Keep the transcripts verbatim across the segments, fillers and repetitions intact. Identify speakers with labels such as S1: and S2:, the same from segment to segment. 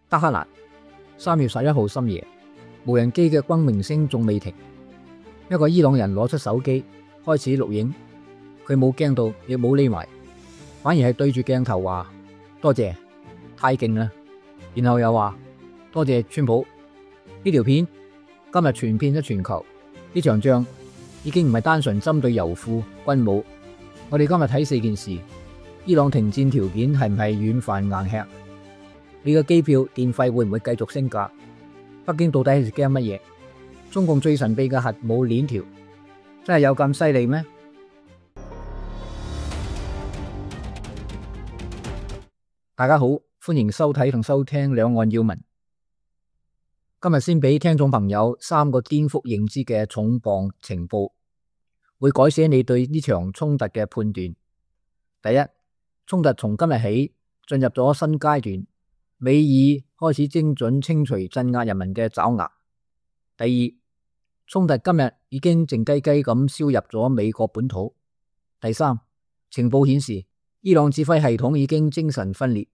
S1: 德黑蘭三月十一號深夜，無人機嘅轟鳴聲仲未停，一個伊朗人攞出手機開始錄影，佢冇驚到，亦冇匿埋，反而係對住鏡頭話多謝，太勁啦，然後又話多謝川普。呢條片今日傳遍咗全球，呢場仗已經唔係單純針對油庫軍武。我哋今日睇四件事：伊朗停戰條件係唔係軟飯硬吃？你嘅機票電費會唔會繼續升價？北京到底係驚乜嘢？中共最神秘嘅核武鏈條真係有咁犀利咩？大家好，歡迎收睇同收聽兩岸要聞。今日先俾聽眾朋友三個顛覆認知嘅重磅情報，會改寫你對呢場衝突嘅判斷。第一，衝突從今日起進入咗新階段，美爾開始精準清除鎮壓人民嘅爪牙。第二，衝突今日已經靜雞雞咁燒入咗美國本土。第三，情報顯示伊朗指揮系統已經精神分裂，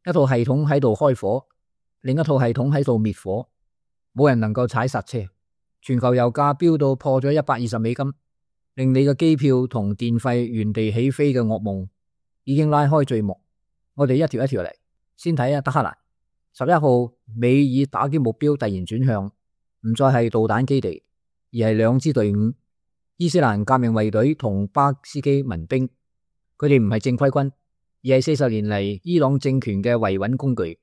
S1: 一套系統喺度開火，另一套系統喺度滅火，冇人能夠踩剎車。全球油價飆到破咗一百二十美金，令你嘅機票同電費原地起飛嘅噩夢已經拉開序幕。我哋一條一條嚟，先睇下德黑蘭。十一號，美爾打擊目標突然轉向，唔再係導彈基地，而係兩支隊伍：伊斯蘭革命衛隊同巴斯基民兵。佢哋唔係正規軍，而係四十年嚟伊朗政權嘅維穩工具。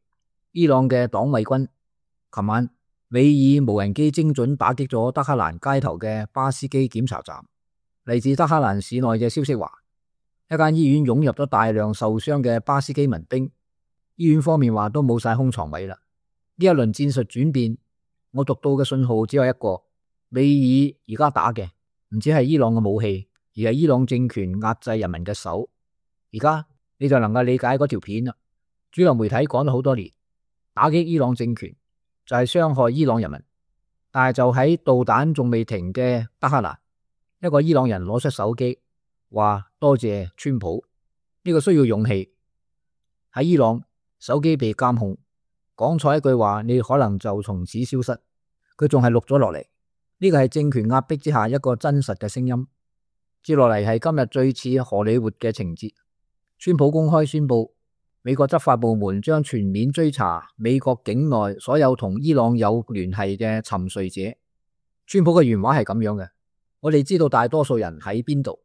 S1: 伊朗嘅黨衛軍。琴晚，美爾無人機精準打擊咗德黑蘭街頭嘅巴斯基檢查站。嚟自德黑蘭市內嘅消息話，一間醫院湧入咗大量受傷嘅巴斯基民兵。醫院方面話都冇晒空床位啦。呢一輪戰術轉變，我讀到嘅信號只有一個：美爾而家打嘅唔止係伊朗嘅武器，而係伊朗政權壓制人民嘅手。而家你就能夠理解嗰條片啦。主流媒體講咗好多年，打擊伊朗政權就係傷害伊朗人民，但係就喺導彈仲未停嘅德黑蘭，一個伊朗人攞出手機話多謝川普。呢個需要勇氣。喺伊朗，手機被監控，講錯一句話你可能就從此消失。佢仲係錄咗落嚟，呢個係政權壓迫之下一個真實嘅聲音。接落嚟係今日最似荷里活嘅情節。川普公開宣布，美國執法部門將全面追查美國境內所有同伊朗有聯繫嘅沉睡者。川普嘅原話係咁樣嘅：我哋知道大多數人喺邊度，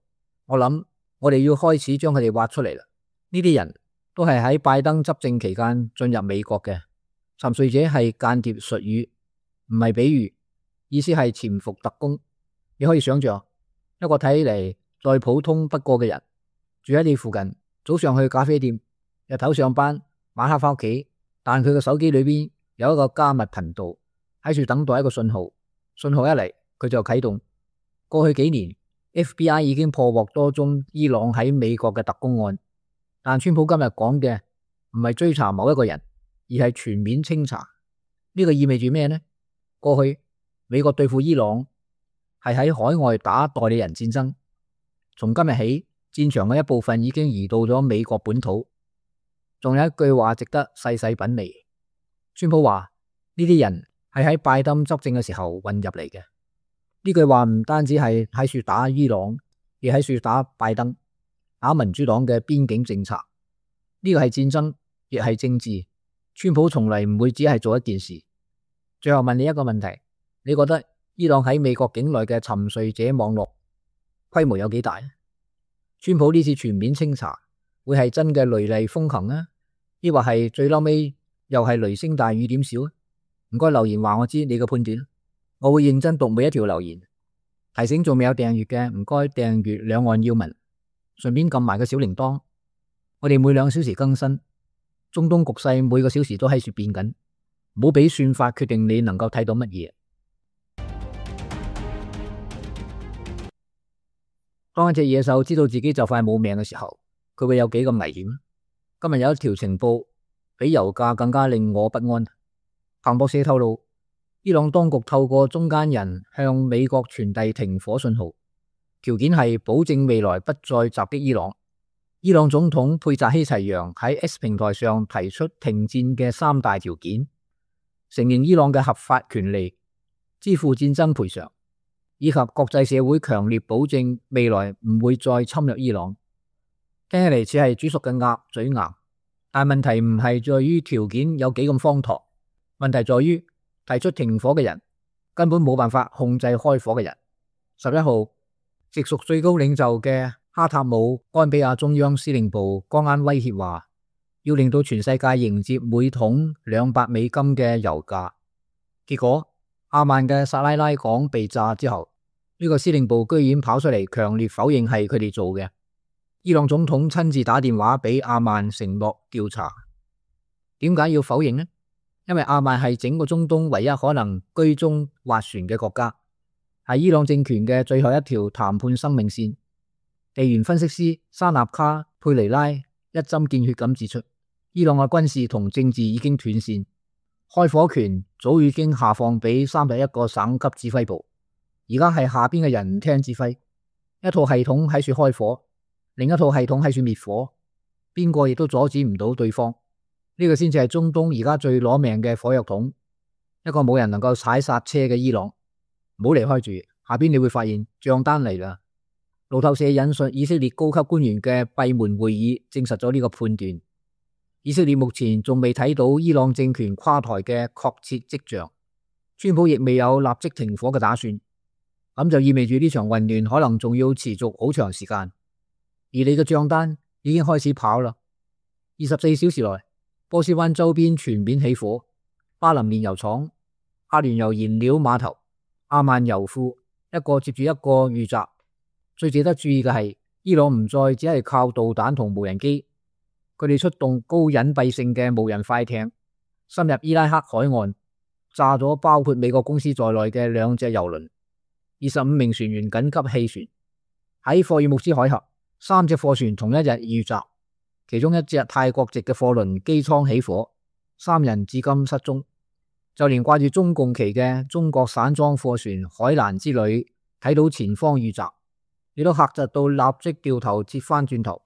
S1: 我諗我哋要開始將佢哋挖出嚟啦。呢啲人都係喺拜登執政期間進入美國嘅。沉睡者係間諜術語，唔係比喻，意思係潛伏特工。你可以想象一個睇嚟再普通不過嘅人，住喺你附近，早上去咖啡店，日頭上班，晚黑翻屋企，但佢嘅手機裏邊有一個加密頻道，喺度等待一個信號，信號一嚟佢就啟動。過去幾年 F B I 已經破獲多宗伊朗喺美國嘅特工案，但川普今日講嘅唔係追查某一個人，而係全面清查。呢個意味住咩呢？過去美國對付伊朗係喺海外打代理人戰爭，從今日起戰場嘅一部分已經移到咗美國本土。仲有一句話值得細細品味，川普話呢啲人係喺拜登執政嘅時候混入嚟嘅。呢句話唔單止係喺處打伊朗，亦喺處打拜登，打民主黨嘅邊境政策。呢個係戰爭，亦係政治。川普從嚟唔會只係做一件事。最後問你一個問題，你覺得伊朗喺美國境內嘅沉睡者網絡規模有幾大？川普呢次全面清查會係真嘅雷厲風行啊，抑或係最嬲尾又係雷聲大雨點小啊？唔該留言話我知你嘅判斷，我會認真讀每一條留言。提醒仲未有訂閱嘅，唔該訂閱兩岸要聞，順便撳埋個小鈴鐺。我哋每兩小時更新，中東局勢每個小時都喺處變緊，唔好俾算法決定你能夠睇到乜嘢。當一隻野獸知道自己就快冇命嘅時候，佢會有幾咁危險？今日有一條情報比油價更加令我不安。彭博社透露，伊朗當局透過中間人向美國傳遞停火信號，條件係保證未來不再襲擊伊朗。伊朗總統佩扎希齊揚喺 X 平台上提出停戰嘅三大條件，承認伊朗嘅合法權利，支付戰爭賠償，以及國際社會強烈保證未來唔會再侵略伊朗。聽起嚟似係煮熟嘅鴨嘴硬，但問題唔係在於條件有幾咁荒唐，問題在於提出停火嘅人根本冇辦法控制開火嘅人。十一號，直屬最高領袖嘅哈塔姆安比亞中央司令部剛啱威脅話，要令到全世界迎接每桶兩百美金嘅油價。結果阿曼嘅薩拉拉港被炸之後，呢個司令部居然跑出嚟強烈否認係佢哋做嘅。伊朗總統親自打電話俾阿曼承諾調查。點解要否認呢？因為阿曼係整個中東唯一可能居中斡旋嘅國家，係伊朗政權嘅最後一條談判生命線。地緣分析師沙納卡佩尼拉一針見血咁指出，伊朗嘅軍事同政治已經斷線，開火權早已經下放俾三十一個省級指揮部，而家係下邊嘅人唔聽指揮，一套系統喺處開火，另一套系統喺處滅火，邊個亦都阻止唔到對方。呢個先至係中東而家最攞命嘅火藥桶，一個冇人能夠踩剎車嘅伊朗。唔好離開住，下邊你會發現賬單嚟啦。路透社引述以色列高級官員嘅閉門會議證實咗呢個判斷。以色列目前仲未睇到伊朗政權垮台嘅確切跡象，川普亦未有立即停火嘅打算，咁就意味住呢場混亂可能仲要持續好長時間。而你嘅賬單已經開始跑啦。二十四小時內，波斯灣周邊全面起火，巴林煉油廠、阿聯酋燃料碼頭、阿曼油庫一個接住一個遇襲。最值得注意嘅係，伊朗唔再只係靠導彈同無人機，佢哋出動高隱蔽性嘅無人快艇，深入伊拉克海岸，炸咗包括美國公司在內嘅兩隻油輪，二十五名船員緊急棄船。喺霍爾木茲海峽，三隻貨船同一日遇襲，其中一隻泰國籍嘅貨輪機艙起火，三人至今失蹤。就連掛住中共旗嘅中國散裝貨船海蘭之旅，睇到前方遇襲，亦都嚇窒到立即掉頭折返轉頭。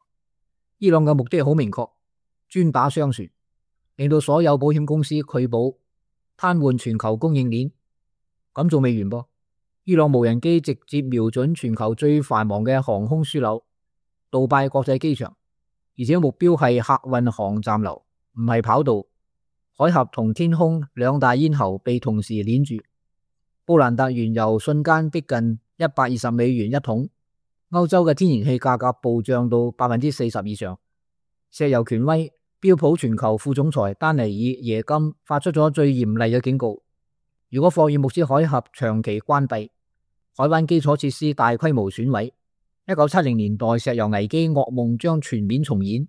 S1: 伊朗嘅目的好明確，專打商船，令到所有保險公司拒保，癱瘓全球供應鏈。咁仲未完噃，伊朗無人機直接瞄準全球最繁忙嘅航空樞紐杜拜國際機場，而且目標係客運航站樓，唔係跑道。海峽同天空兩大咽喉被同時鏈住，布蘭特原油瞬間逼近一百二十美元一桶。歐洲嘅天然氣價格暴漲到百分之四十以上。石油權威標普全球副總裁丹尼爾耶金發出咗最嚴厲嘅警告：如果霍爾木茲海峽長期關閉，海灣基礎設施大規模損毀，一九七零年代石油危機噩夢將全面重演，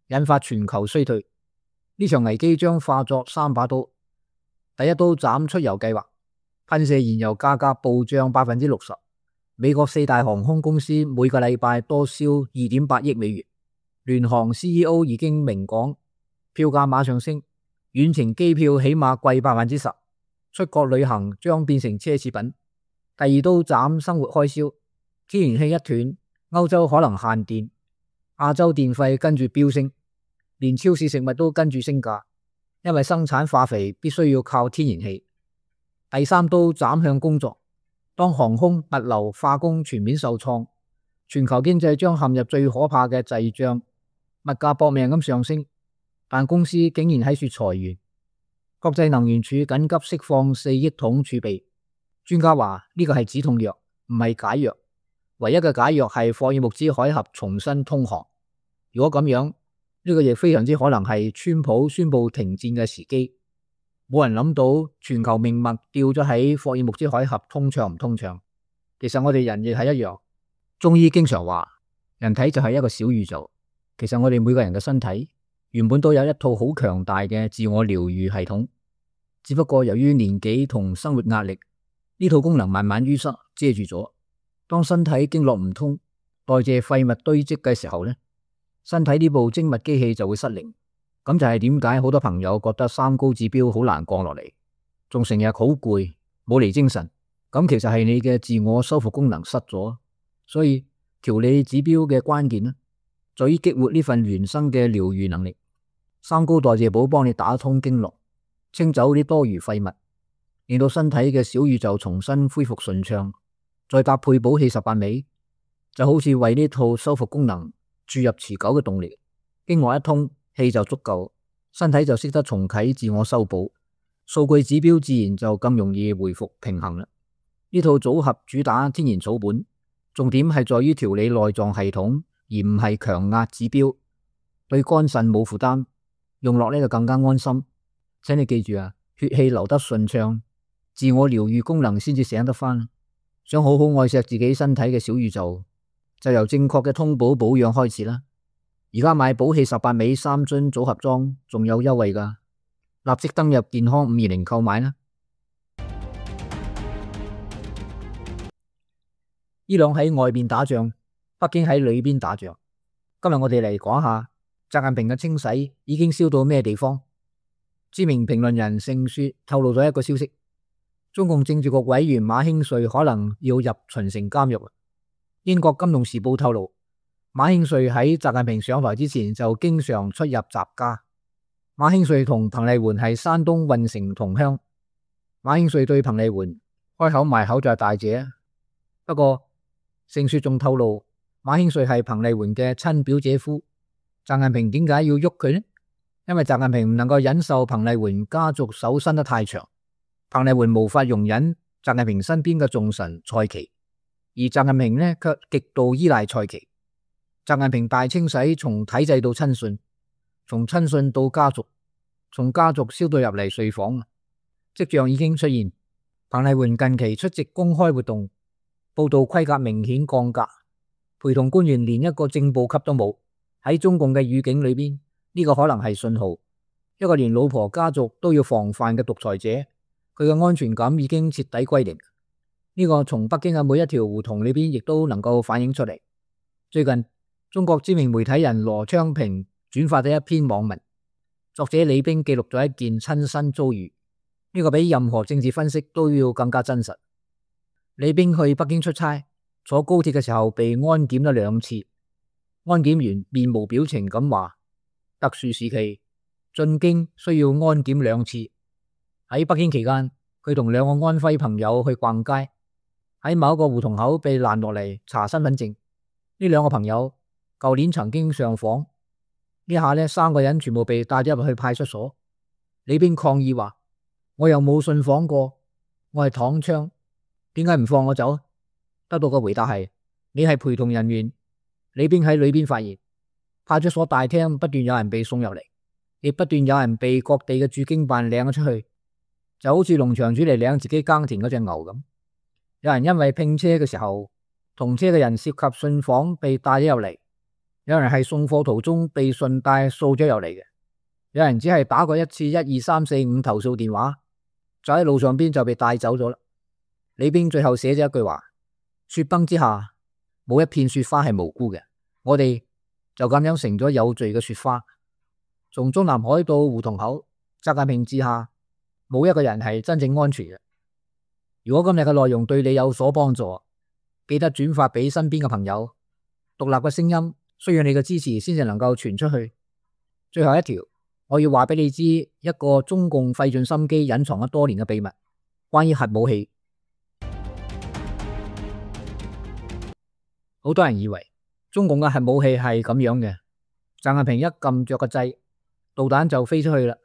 S1: 引發全球衰退。呢場危機將化作三把刀，第一刀斬出油計劃，噴射燃油價格暴漲百分之六十。美國四大航空公司每個禮拜多燒二點八億美元，聯航 C E O 已經明講，票價馬上升，遠程機票起碼貴百分之十，出國旅行將變成奢侈品。第二刀斬生活開銷，天然氣一斷，歐洲可能限電，亞洲電費跟住飆升，連超市食物都跟住升價，因為生產化肥必須要靠天然氣。第三刀斬向工作，當航空、物流、化工全面受創，全球經濟將陷入最可怕嘅滯脹，物價搏命咁上升，但公司竟然喺處裁員。國際能源署緊急釋放四億桶儲備，專家話呢個係止痛藥，唔係解藥，唯一嘅解藥係霍爾木茲海峽重新通航。如果咁樣，呢個亦非常之可能係川普宣布停戰嘅時機。冇人諗到全球命脈掉咗喺霍爾木茲海峽通暢唔通暢。其實我哋人亦係一樣。中醫經常話，人體就係一個小宇宙。其實我哋每個人嘅身體原本都有一套好強大嘅自我療愈系統，只不過由於年紀同生活壓力，呢套功能慢慢淤塞遮住咗。當身體經絡唔通，代謝廢物堆積嘅時候呢，身體呢部精密機器就會失靈。咁就係點解好多朋友覺得三高指標好難降落嚟，仲成日好攰，冇嚟精神。咁其實係你嘅自我修復功能失咗。所以調理指標嘅關鍵呢，在於激活呢份原生嘅療癒能力。三高代謝寶幫你打通經絡，清走啲多餘廢物，令到身體嘅小宇宙重新恢復順暢。再搭配補氣十八味，就好似為呢套修復功能注入持久嘅動力。經絡一通，氣就足夠，身體就識得重啟自我修補，數據指標自然就更容易回復平衡啦。呢套組合主打天然草本，重點係在於調理內臟系統，而唔係強壓指標，對肝腎冇負擔，用落呢就更加安心。請你記住啊，血氣流得順暢，自我療癒功能先至醒得返。想好好愛錫自己身體嘅小宇宙，就由正確嘅通補保養開始啦。而家買補氣十八味三樽組合裝仲有優惠㗎，立即登入健康五二零購買啦。伊朗喺外邊打仗，北京喺裏邊打仗。今日我哋嚟講下習近平嘅清洗已經燒到咩地方？知名評論人盛雪透露咗一個消息。中共政治局委員馬興瑞可能要入秦城監獄。英國金融時報透露，馬興瑞喺習近平上台之前就經常出入習家。馬興瑞同彭麗媛係山東運城同鄉。馬興瑞對彭麗媛開口埋口就係大姐。不過盛雪仲透露，馬興瑞係彭麗媛嘅親表姐夫。習近平點解要喐佢呢？因為習近平唔能夠忍受彭麗媛家族手伸得太長。彭麗媛無法容忍習近平身邊嘅重臣蔡奇，而習近平呢卻極度依賴蔡奇。習近平大清洗從體制到親信，從親信到家族，從家族燒到入嚟睡房，跡象已經出現。彭麗媛近期出席公開活動，報道規格明顯降格，陪同官員連一個正部級都冇。喺中共嘅語境裏邊，呢個可能係信號，一個連老婆家族都要防範嘅獨裁者，佢嘅安全感已經徹底歸零。呢個從北京嘅每一條胡同裏邊亦都能夠反映出嚟。最近中國知名媒體人羅昌平轉發咗一篇網文，作者李冰記錄咗一件親身遭遇，呢個比任何政治分析都要更加真實。李冰去北京出差，坐高鐵嘅時候被安檢咗兩次，安檢員面無表情咁話，特殊時期進京需要安檢兩次。喺北京期間，佢同兩個安徽朋友去逛街，喺某一個胡同口被攔落嚟查身份證。呢兩個朋友舊年曾經上訪，呢下呢三個人全部被帶咗入去派出所。李冰抗議話：我又冇信訪過，我係躺槍，點解唔放我走？得到嘅回答係：你係陪同人員。李冰喺裏邊發現，派出所大廳不斷有人被送入嚟，亦不斷有人被各地嘅駐京辦領咗出去。就好似農場主嚟領自己耕田嗰隻牛咁，有人因為拼車嘅時候同車嘅人涉及信訪被帶咗入嚟，有人係送貨途中被順帶掃咗入嚟嘅，有人只係打過一次一二三四五投訴電話，就喺路上邊就被帶走咗啦。李冰最後寫咗一句話：雪崩之下冇一片雪花係無辜嘅，我哋就咁樣成咗有罪嘅雪花。從中南海到胡同口，習近平治下冇一個人係真正安全嘅。如果今日嘅內容對你有所幫助，記得轉發俾身邊嘅朋友。獨立嘅聲音需要你嘅支持先至能夠傳出去。最後一條，我要話俾你知一個中共費盡心機隱藏咗多年嘅秘密，關於核武器。好多人以為中共嘅核武器係咁樣嘅，習近平一撳着個掣，導彈就飛出去啦。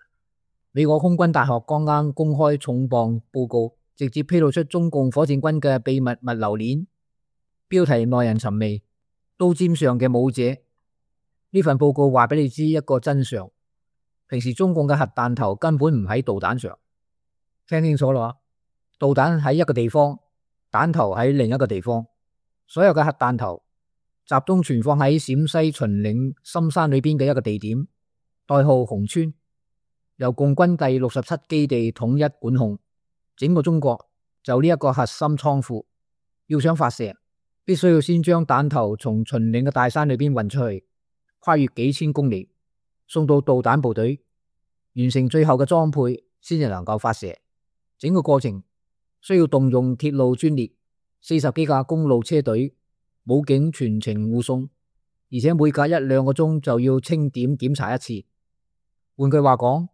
S1: 美國空軍大學剛剛公開重磅報告，直接披露出中共火箭軍嘅秘密物流鏈，標題耐人尋味，刀尖上嘅武者。呢份報告話俾你知一個真相，平時中共嘅核彈頭根本唔喺導彈上。聽清楚啦，導彈喺一個地方，彈頭喺另一個地方。所有嘅核彈頭集中存放喺陝西秦嶺深山裏邊嘅一個地點，代號紅川，由共軍第六十七基地統一管控。整個中國就呢一個核心倉庫，要想發射，必須要先將彈頭從秦嶺嘅大山裏邊運出去，跨越幾千公里，送到導彈部隊，完成最後嘅裝配，先至能夠發射。整個過程需要動用鐵路專列，四十幾架公路車隊，武警全程護送，而且每隔一兩個鐘就要清點檢查一次。換句話講，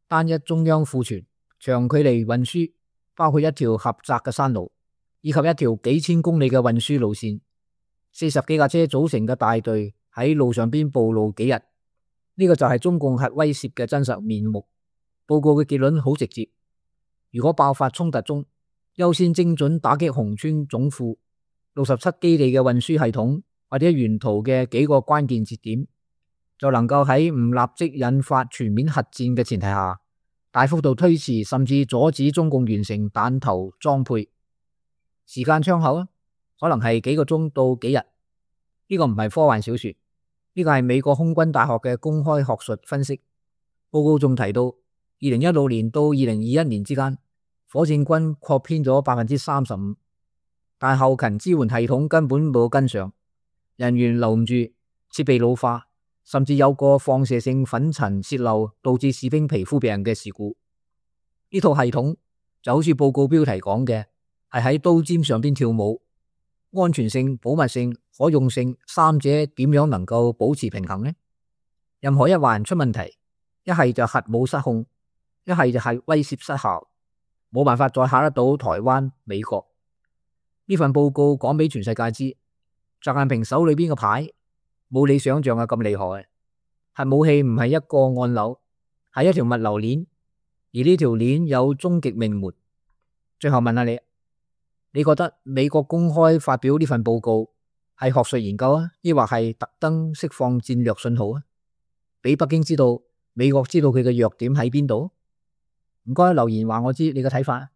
S1: 單一中央庫存長距離運輸，包括一條狹窄嘅山路，以及一條幾千公里嘅運輸路線，四十幾架車組成嘅大隊喺路上邊暴露幾日，呢個就係中共核威懾嘅真實面目。報告嘅結論好直接，如果爆發衝突中，優先精準打擊紅川總庫、六十七基地嘅運輸系統或者沿途嘅幾個關鍵節點，就能夠喺唔立即引發全面核戰嘅前提下，大幅度推遲甚至阻止中共完成彈頭裝配。時間窗口啊，可能係幾個鐘到幾日。呢個唔係科幻小說，呢個係美國空軍大學嘅公開學術分析。報告仲提到，二零一六年到二零二一年之間，火箭軍擴編咗百分之三十五，但後勤支援系統根本冇跟上，人員留唔住，設備老化，甚至有個放射性粉塵洩漏導致士兵皮膚病嘅事故。呢套系統就好似報告標題講嘅，係喺刀尖上邊跳舞，安全性、保密性、可用性三者點樣能夠保持平衡呢？任何一環出問題，一係就核武失控，一係就係威懾失效，冇辦法再嚇得到台灣、美國。呢份報告講俾全世界知，習近平手裏邊嘅牌冇你想象嘅咁厲害。核武器唔係一個按鈕，係一條物流鏈，而呢條鏈有終極命門。最後問下你，你覺得美國公開發表呢份報告係學術研究啊，抑或係特登釋放戰略信號啊？俾北京知道美國知道佢嘅弱點喺邊度？唔該留言話我知你嘅睇法。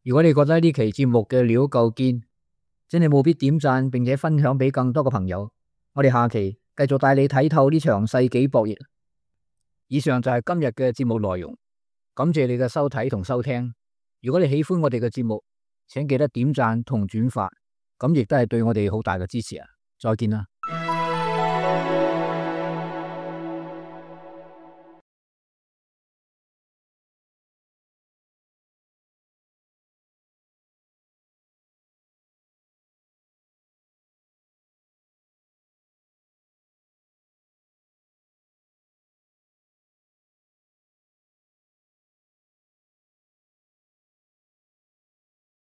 S1: 如果你覺得呢期節目嘅料夠堅，請你務必點讚並且分享俾更多嘅朋友。我哋下期繼續帶你睇透呢場世紀博弈。以上就係今日嘅節目內容，感謝你嘅收睇同收聽。如果你喜歡我哋嘅節目，請記得點讚同轉發，咁亦都係對我哋好大嘅支持啊！再見啦。